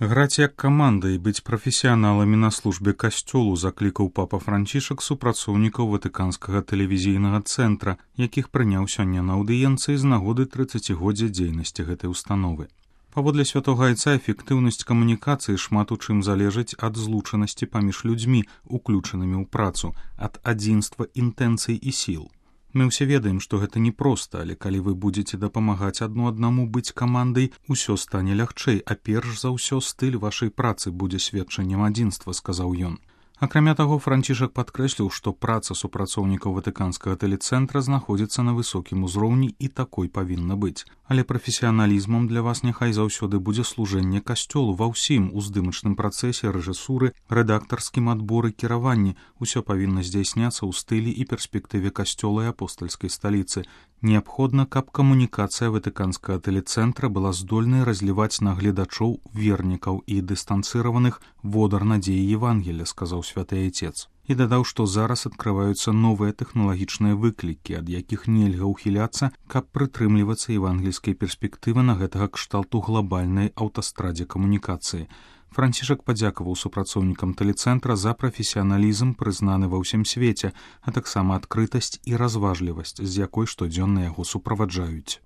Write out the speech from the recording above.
Граць як каманда і быць прафесіяналамі на службе касцёлу заклікаў папа Францішак супрацоўнікаў ватыканскага тэлевізійнага цэнтра, якіх прыняў сёння на аўдыенцыі з нагоды 30годдзя дзейнасці гэтай установы. Паводле святога айца эфектыўнасць камунікацыі шмат у чым залежыць ад злучанасці паміж людзьмі, уключанымі ў працу, ад адзінства інтэнцый і сіл. Мы ўсе ведаем, што гэта непроста, але калі вы будзеце дапамагаць адно аднаму быць камандай, усё стане лягчэй, а перш за ўсё стыль вашай працы будзе сведчаннем адзінства, сказаў ён. Акрамя таго, Францішак падкрэсліў, што праца супрацоўнікаў ватыканскага тэлецэнтра знаходзіцца на высокім узроўні і такой павінна быць. Але прафесіяналізмам для вас няхай заўсёды будзе служэнне касцёлу ва ўсім уздымачным працэсе рэжысуры, рэдактарскім адборы, кіраванні. Усё павінна здзяйсняцца ў стылі і перспектыве касцёла і апостальскай сталіцы. Неабходна, каб камунікацыя ватыканскага тэлецэнтра была здольнай разліваць на гледачоў, вернікаў і дыстанцыраваных водар надзеі Евангелля, сказаў святы айцец. І дадаў, што зараз адкрываюцца новыя тэхналагічныя выклікі, ад якіх нельга ўхіляцца, каб прытрымлівацца евангельскай перспектывы на гэтага кшталту глобальнай аўтастрадзе камунікацыі. Францішак падзякаваў супрацоўнікам тэлецэнтра за прафесіяналізм, прызнаны ва ўсім свеце, а таксама адкрытасць і разважлівасць, з якой штодзённа яго суправаджаюць.